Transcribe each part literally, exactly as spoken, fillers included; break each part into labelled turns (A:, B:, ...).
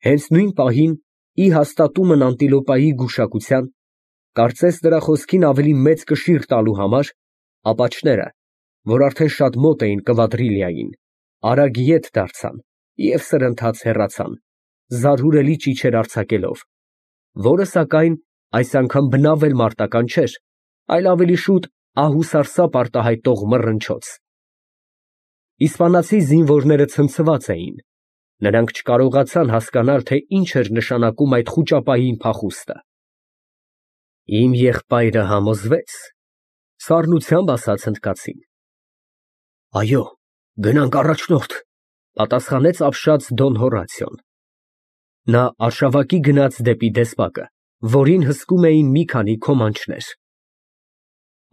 A: Հենց նույն պահին, ի հաստատումն անտիլոպայի գուշակության, կարծես նրա խոսքին ավելի մեծ կշիռ տալու համար, ապաչները, որ արդեն շատ մոտ էին կվադրիլիային, արագ ետ դարձան և սրընթաց հեռացան, զարհուրելի ճիչեր արձակելով, որը, սակայն, այս անգամ բնավ էլ մարտական չէր, այլ ավելի շուտ ահ ու սարսափ արտահայտող մռնչոց։ Իսպանացի զինվորները ցնցված էին, նրանք չկարողացան հասկանալ, թե ինչ էր նշանակում այդ խուճապային փախուստը։ Իմ եղբայրը համոզվեց, սառնությամբ ասաց հնդկացին։ Այո, գնանք առաջնորդ, պատասխանեց ապշած Դոն Հորատիոն։ Նա արշավակի գնաց դեպի դեսպակը, որին հսկում էին մի քանի քոմանչներ։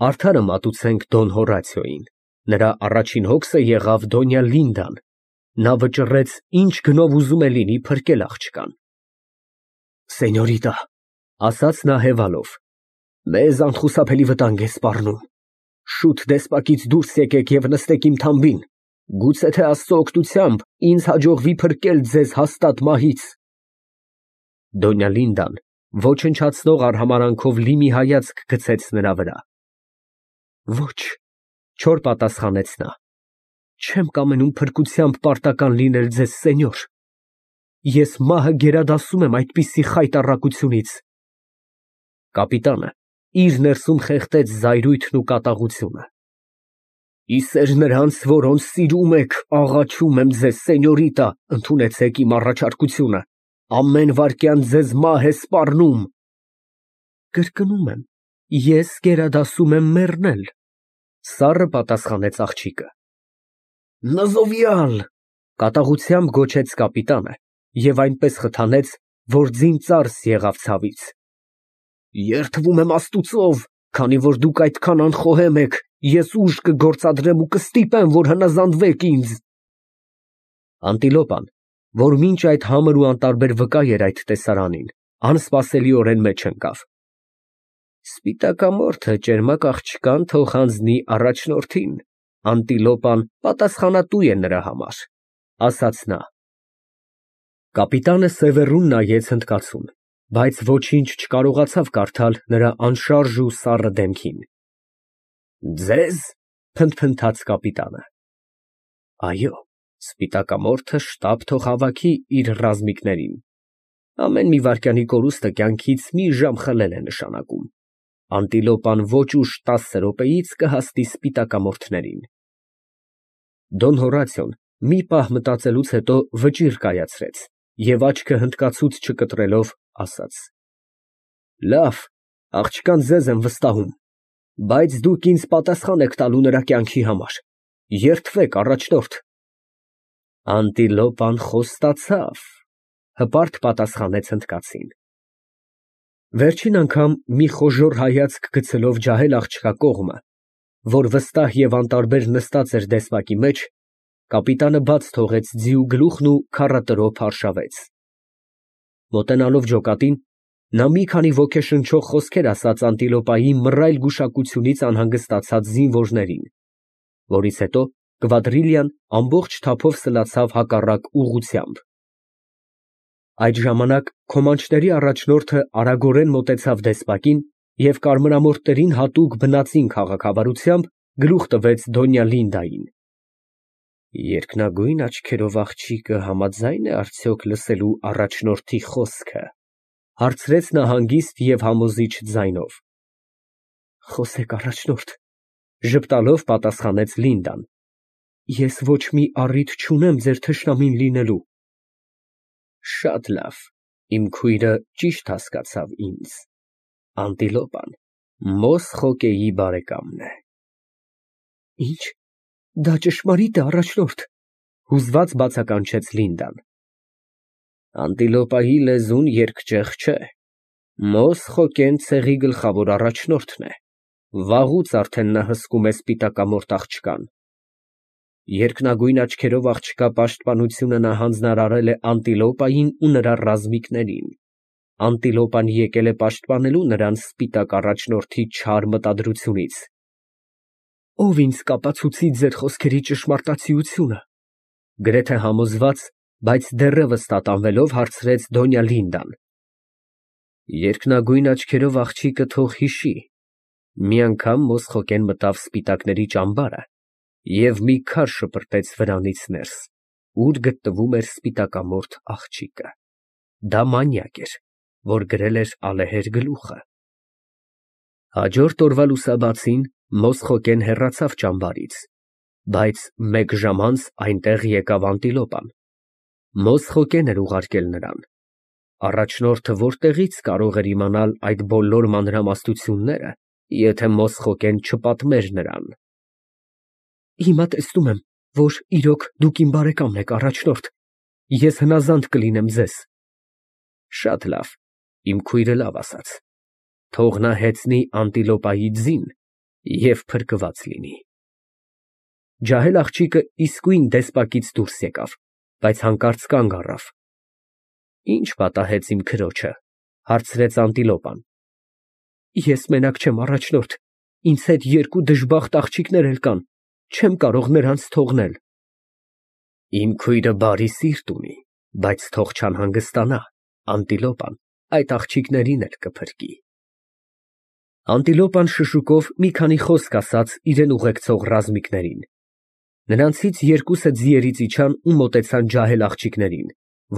A: Արդարը մատուցենք Դոն Հորատիոյին, նրա առաջին հոգսը եղավ Դոնյա Լինդան, նա վճռեց ինչ գնով ուզում է լինի փրկել աղջկան։ Սենյորիտա, ասաց նա հևալով, մեզ անխուսափելի վտանգ է սպառնում, շուտ դեսպակից դուրս եկեք և նստեք իմ թամբին, գուցե թե Աստծո օգնությամբ ինձ հաջողվի փրկել ձեզ հաստատ մահից։ Դոնյա Լինդան ոչնչացնող արհամարանքով լի մի հայացք գցեց նրա վրա։ Ոչ, չոր պատասխանեց նա, չեմ կամենում փրկությամբ պարտական լինել ձեզ, սենյոր, ես մահը գերադասում եմ այդպիսի խայտառակությունից։ Կապիտանը իր ներսում խեղդեց զայրույթն ու կատաղությունը։ Ի սեր նրանց, որոնց սիրում եք, աղաչում եմ ձեզ, սենյորիտա, ընդունեցեք իմ առաջարկությունը, ամեն վայրկյան ձեզ մահ է սպառնում։ Կրկնում եմ, ես գերադասում եմ մեռնել, սառը պատասխանեց աղջիկը։ Նզովյալ, կատաղությամբ գոչեց կապիտանը և այնպես խթանեց, որ ձին ծարս եղավ ցավից։ Երդվում եմ Աստուծով, քանի որ դուք այդքան անխոհեմ եք, ես ուժ կգործադրեմ ու կստիպեմ, որ հնազանդվեք ինձ։ Անտիլոպան, որ մինչ այդ համր ու անտարբեր վկա էր այդ տեսարանին, անսպասելիորեն մեջ ընկավ։ Սպիտակամորթը ճերմակ աղջկան թող հանձնի առաջնորդին, անտիլոպան պատասխանատու է նրա համար, ասաց նա։ Կապիտանը սևեռուն նայեց հնդկացուն, բայց ոչինչ չկարողացավ կարդալ նրա անշարժ ու սառը դեմքին։ Ձեզ, փնթփնթաց կապիտանը։ Այո, սպիտակամորթը շտապ թող հավաքի իր ռազմիկներին, ամեն մի վայրկյանի կորուստը կյանքից մի ժամ խլել է նշանակում, անտիլոպան ոչ ուշ տասը րոպեից կհասնի սպիտակամորթներին։ Դոն Հորատիոն մի պահ մտածելուց հետո վճիռ կայացրեց և աչքը հնդկացուց չկտրելով ասաց. Լավ, աղջկան ձեզ եմ վստահում, բայց դուք ինձ պատասխան եք տալու նրա կյանքի համար, երդվեք առաջնորդ։ Անտիլոպան խոստացավ, հպարտ պատասխանեց հնդկացին։ Վերջին անգամ մի խոժոռ հայացք գցելով ջահել աղջկա կողմը, որ վստահ և անտարբեր նստած էր դեսպակի մեջ, կապիտանը բաց թողեց ձիու գլուխն ու քառատրոփ արշավեց։ Մոտենալով ջոկատին, նա մի քանի ոգեշնչող խոսքեր ասաց անտիլոպայի մռայլ գուշակությունից անհանգստացած զինվորներին, որից հետո կվադրիլիան ամբողջ թափով սլացավ հակառակ ուղղությամբ։ Այդ ժամանակ քոմանչների առաջնորդը արագորեն մոտեցավ դեսպակին և կարմրամորթներին հատուկ բնածին քաղաքավարությամբ գլուխ տվեց Դոնյա Լինդային։ Երկնագույն աչքերով աղջիկը համաձա՞յն է արդյոք լսելու առաջնորդի խոսքը, հարցրեց նա հանգիստ և համոզիչ ձայնով։ Խոսեք, առաջնորդ, ժպտալով պատասխանեց Լինդան, ես ոչ մի առիթ չունեմ ձեր թշնամին լինելու։ Շատ լավ, իմ քույրը ճիշտ հասկացավ ինձ, անտիլոպան Մոսխոկեի բարեկամն է։ Ինչ, դա ճշմարիտ է, առաջնորդ, հուզված բացականչեց Լինդան։ Անտիլոպայի լեզուն երկճեղ չէ, Մոսխոկեն ցեղի գլխավոր առաջնորդն է, վաղուց արդեն նա հսկում է սպիտակամորթ աղջկան։ Երկնագույն աչքերով աղջկա պաշտպանությունը նա հանձնարարել է Անտիլոպային ու նրա ռազմիկներին, Անտիլոպան եկել է պաշտպանելու նրան սպիտակ առաջնորդի չար մտադրությունից։ Ով ինձ կապացուցի ձեր խոսքերի ճշմարտացիությունը, գրեթե համոզված Բայց դեռևս տատանվելով հարցրեց Դոնյա Լինդան։ Երկնագույն աչքերով աղջիկը թող հիշի, մի անգամ Մոսխոկեն մտավ սպիտակների ճամբարը և մի քար շպրտեց վրանից ներս, ուր գտնվում էր սպիտակամորթ աղջիկը. դա մանյակ էր, որ գրել էր ալեհեր գլուխը։ Հաջորդ օրվա լուսաբացին Մոսխոկեն հեռացավ ճամբարից, բայց մեկ ժամ անց այնտեղ եկավ անտիլոպան։ Մոսխոկեն էր ուղարկել նրան։ Առաջնորդը որտեղի՞ց կարող էր իմանալ այդ բոլոր մանրամասնությունները, եթե Մոսխոկեն չպատմեր նրան։ Հիմա տեսնում եմ, որ իրոք դուք իմ բարեկամն եք, առաջնորդ, ես հնազանդ կլինեմ ձեզ։ Շատ լավ, իմ քույրը լավ ասաց, թող նա հեծնի անտիլոպայի ձին և փրկված լինի։ Ջահել աղջիկը իսկույն դեսպակից դուրս եկավ, բայց հանկարծ կանգ առավ։ Ի՞նչ պատահեց իմ քրոջը, հարցրեց անտիլոպան։ Ես մենակ չեմ, առաջնորդ, ինձ հետ երկու դժբախտ աղջիկներ էլ կան, չեմ կարող նրանց թողնել։ Իմ քույրը բարի սիրտ ունի, բայց թող չանհանգստանա, անտիլոպան այդ աղջիկներին էլ կփրկի։ Անտիլոպան շշուկով մի քանի խոսք ասաց իրեն ուղեկցող ռազմիկներին։ Նրանցից երկուսը ձիերից իջան ու մոտեցան ջահել աղջիկներին,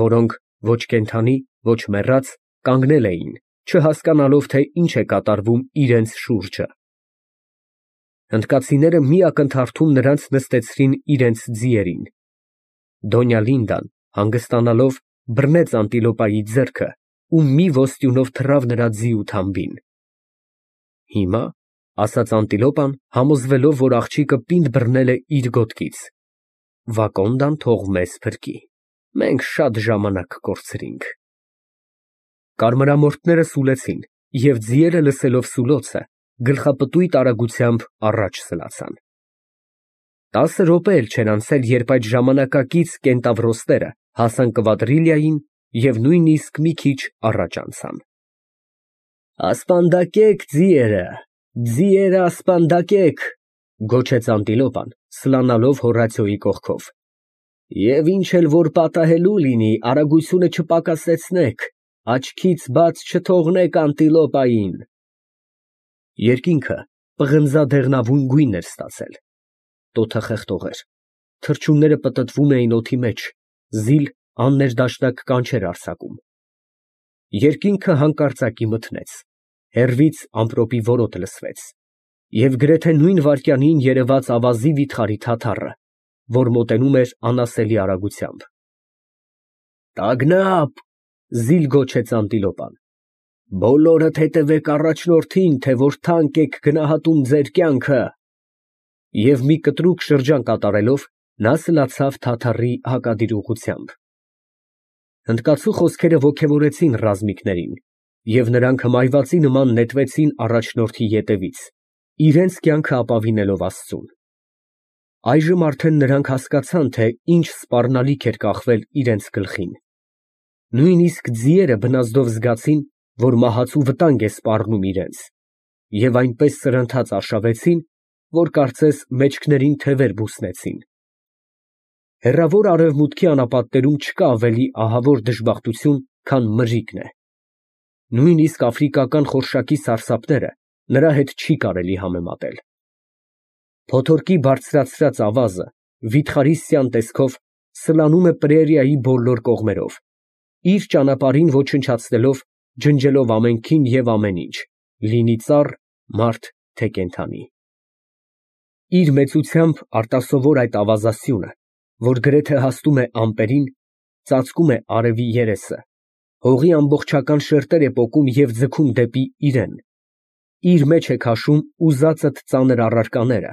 A: որոնք ոչ կենդանի, ոչ մեռած կանգնել էին, չհասկանալով, թե ինչ է կատարվում իրենց շուրջը։ Հնդկացիները մի ակնթարթում նրանց նստեցրին իրենց ձիերին։ Դոնյա Լինդան, հանգստանալով, բռնեց անտիլոպայի ձեռքը ու մի ոստյունով թռավ նրա ձիու թամբին։ Հիմա, ասաց անտիլոպան, համոզվելով, որ աղջիկը պինդ բռնել է իր գոտկից, Վակոնդան թող մեզ փրկի, մենք շատ ժամանակ կորցրինք։ Կարմրամորթները սուլեցին, և ձիերը լսելով սուլոցը, գլխապտույտ արագությամբ առաջ սլացան։ Տասը րոպե էլ չէր անցել, երբ այդ ժամանակակից կենտավրոստերը հասան Կվադրիլիային և նույնիսկ մի քիչ առաջ անցան։ Ասպանդակեք ձիերը, ձիերը ասպանդակեք, գոչեց անտիլոպան, սլանալով Հորացիոյի կողքով, և ինչ էլ որ պատահելու լինի, արագությունը չպակասեցնեք, աչքից բաց չթողնեք անտիլոպային։ Երկինքը պղնձադեղնավուն գույն էր ստացել, տոթը խեղդող էր, թռչունները պտտվում էին օդի մեջ, զիլ աններդաշնակ կանչեր արձակում։ Երկինքը հանկարծակի մթնեց, հեռվից ամպրոպի որոտ լսվեց, և գրեթե նույն վայրկյանին երևաց ավազի վիթխարի թաթառը, որ մոտենում էր անասելի արագությամբ։ Տագնապ, զիլ գոչեց անտիլոպան, բոլորդ հետևեք առաջնորդին, թե որ թանկ եք գնահատում ձեր կյանքը։ Եվ մի կտրուկ շրջան կատարելով, նա սլացավ թաթառի հակադիր ուղղությամբ։ Հնդկացու խոսքերը ոգևորեցին ռազմիկներին, և նրանք հմայվածի նման նետվեցին առաջնորդի ետևից, իրենց կյանքը ապավինելով Աստծուն։ Այժմ արդեն նրանք հասկացան, թե ինչ սպառնալիք էր կախվել իրենց գլխին։ Նույնիսկ ձիերը բնազդով զգացին, որ մահացու վտանգ է սպառնում իրենց, և այնպես սրընթաց արշավեցին, որ կարծես մեջքներին թևեր բուսնեցին։ Հեռավոր արևմուտքի անապատներում չկա ավելի ահավոր դժբախտություն, քան մրրիկն է։ Նույնիսկ աֆրիկական խորշակի սարսափները նրա հետ չի կարելի համեմատել։ Փոթորկի բարձրացրած ավազը վիթխարի տեսքով սլանում է պրերիայի բոլոր կողմերով, իր ճանապարհին ոչնչացնելով, ջնջելով ամենքին և ամեն ինչ, լինի ծառ, մարդ, թե կենդանի։ Իր մեծությամբ արտասովոր այդ ավազասյունը, որ գրեթե հասնում է ամպերին, ծածկում է արևի երեսը, հողի ամբողջական շերտեր է պոկում և ձգում դեպի իրեն, իր մեջ է քաշում ուզածդ ծանր առարկաները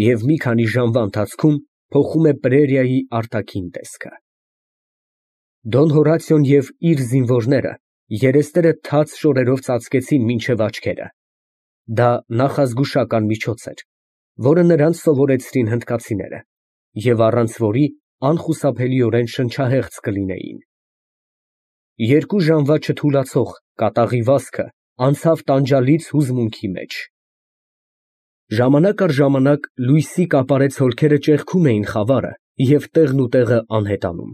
A: և մի քանի ժամվա ընթացքում փոխում է պրերիայի արտաքին տեսքը։ Դոն Հորացիոն և իր զինվորները երեսները թաց շորերով ծածկեցին մինչև աչքերը։ Դա նախազգուշական միջոց էր, որը նրանց սովորեցրին հնդկացիները, և առանց որի անխուսափելիորեն շնչահեղձ կլինեին։ Երկու ժամվա չթուլացող կատաղի վազքը անցավ տանջալից հուզմունքի մեջ։ Ժամանակ առ ժամանակ լույսի կապարծ հոլքերը ճեղքում էին խավարը և տեղնուտեղը անհետանում։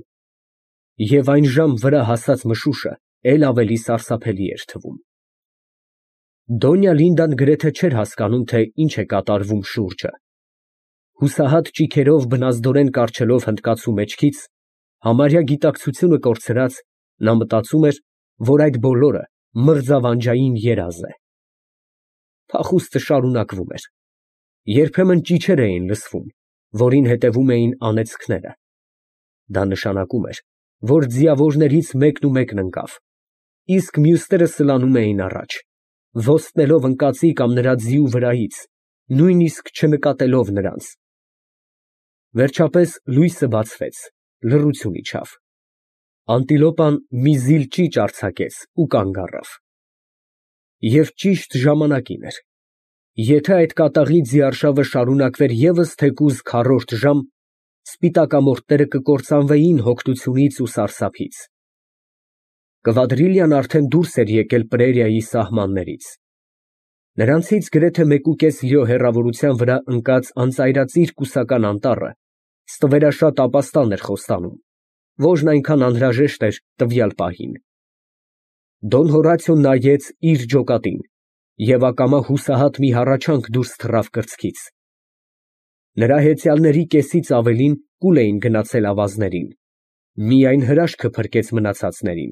A: Եվ այն ժամ վրա հասած մշուշը էլ ավելի սարսափելի էր թվում։ Դոնյա Լինդան գրեթե չէր հասկանում, թե ինչ է կատարվում շուրջը։ Հուսահատ ճիգերով բնազդորեն կառչելով հնդկացու մեջքից, համարյա գիտակցությունը կորցրած, նա մտածում էր, որ այդ բոլորը մրձավանջային երազ է։ Փախուստը շարունակվում էր։ Երբեմն ճիչեր էին լսվում, որին հետևում էին անեծքները։ Դա նշանակում էր, որ ձիավորներից մեկն ու մեկն ընկավ, իսկ մյուսները սլանում էին առաջ, ոստնելով ընկածի կամ նրա ձիու վրայից, նույնիսկ չնկատելով նրանց։ Վերջապես լույսը բացվեց, լռություն իջավ։ Անտիլոպան մի զիլ ճիճ արձակեց ու կանգ առավ։ Եվ ճիշտ ժամանակին էր։ Եթե այդ կատաղի ձիարշավը շարունակվեր ևս թեկուզ քառորդ ժամ, սպիտակամորթները կկործանվեին հոգնությունից ու սարսափից։ Կվադրիլյան արդեն դուրս էր եկել պրերիայի սահմաններից։ Նրանցից գրեթե մեկուկես լիո հեռավորության վրա ընկած անծայրածիր կուսական անտառը ստվերաշատ ապաստան էր խոստանում, որն այնքան անհրաժեշտ էր տվյալ պահին։ Դոն Հորացիոն նայեց իր ջոկատին և ակամա հուսահատ մի հառաչանք դուրս թռավ կրծքից։ Նրա հեծյալների կեսից ավելին կուլ էին գնացել ավազներին, միայն հրաշքը փրկեց մնացածներին։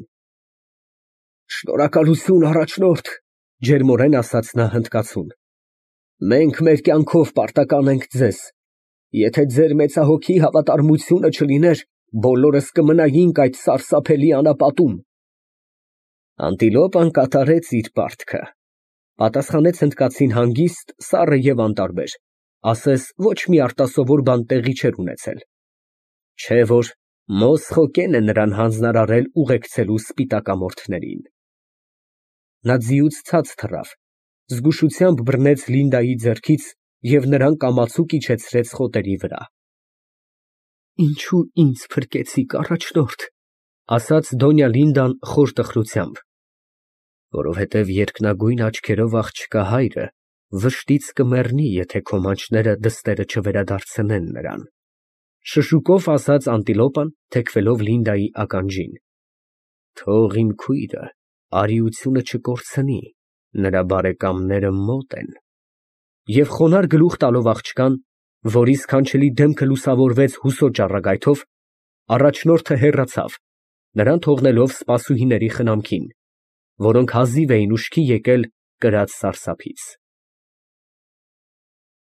A: Շնորհակալություն, առաջնորդ, ջերմորեն ասաց նա հնդկացուն։ Մենք մեր կյանքով պարտական ենք ձեզ։ Եթե ձեր մեծահոգի հավատարմությունը չլիներ, բոլորս կմնայինք այդ սարսափելի անապատում։ Անտիլոպան կատարեց իր պարտքը, պատասխանեց հնդկացին հանգիստ, սառը և անտարբեր, ասես ոչ մի արտասովոր բան տեղի չէր ունեցել։ Չէ որ Մոսխոկեն է նրան հանձնարարել ուղեկցելու սպիտակամորթներին։ Նա ձիուց ցած թռավ, զգուշությամբ բռնեց Լինդայի ձեռքից և նրան կամացուկ իջեցրեց խոտերի վրա։ Ինչո՞ւ ինձ փրկեցիք, առաջնորդ, ասաց Դոնյա Լինդան խոր տխրությամբ։ Որովհետև երկնագույն աչքերով աղջկա հայրը վշտից կմեռնի, եթե քո մանչները դստերը չվերադարձնեն նրան, շշուկով ասաց Անտիլոպան, թեքվելով Լինդայի ականջին։ Թող իմ քույրը արիությունը չկորցնի, նրա բարեկամները մոտ են։ Եվ խոնարհ գլուխ տալով աղջկան, որի սքանչելի դեմքը լուսավորվեց հուսոտ ճառագայթով, առաջնորդը հեռացավ, նրան թողնելով սպասուհիների խնամքին, որոնք հազիվ էին ուշքի եկել կրած սարսափից։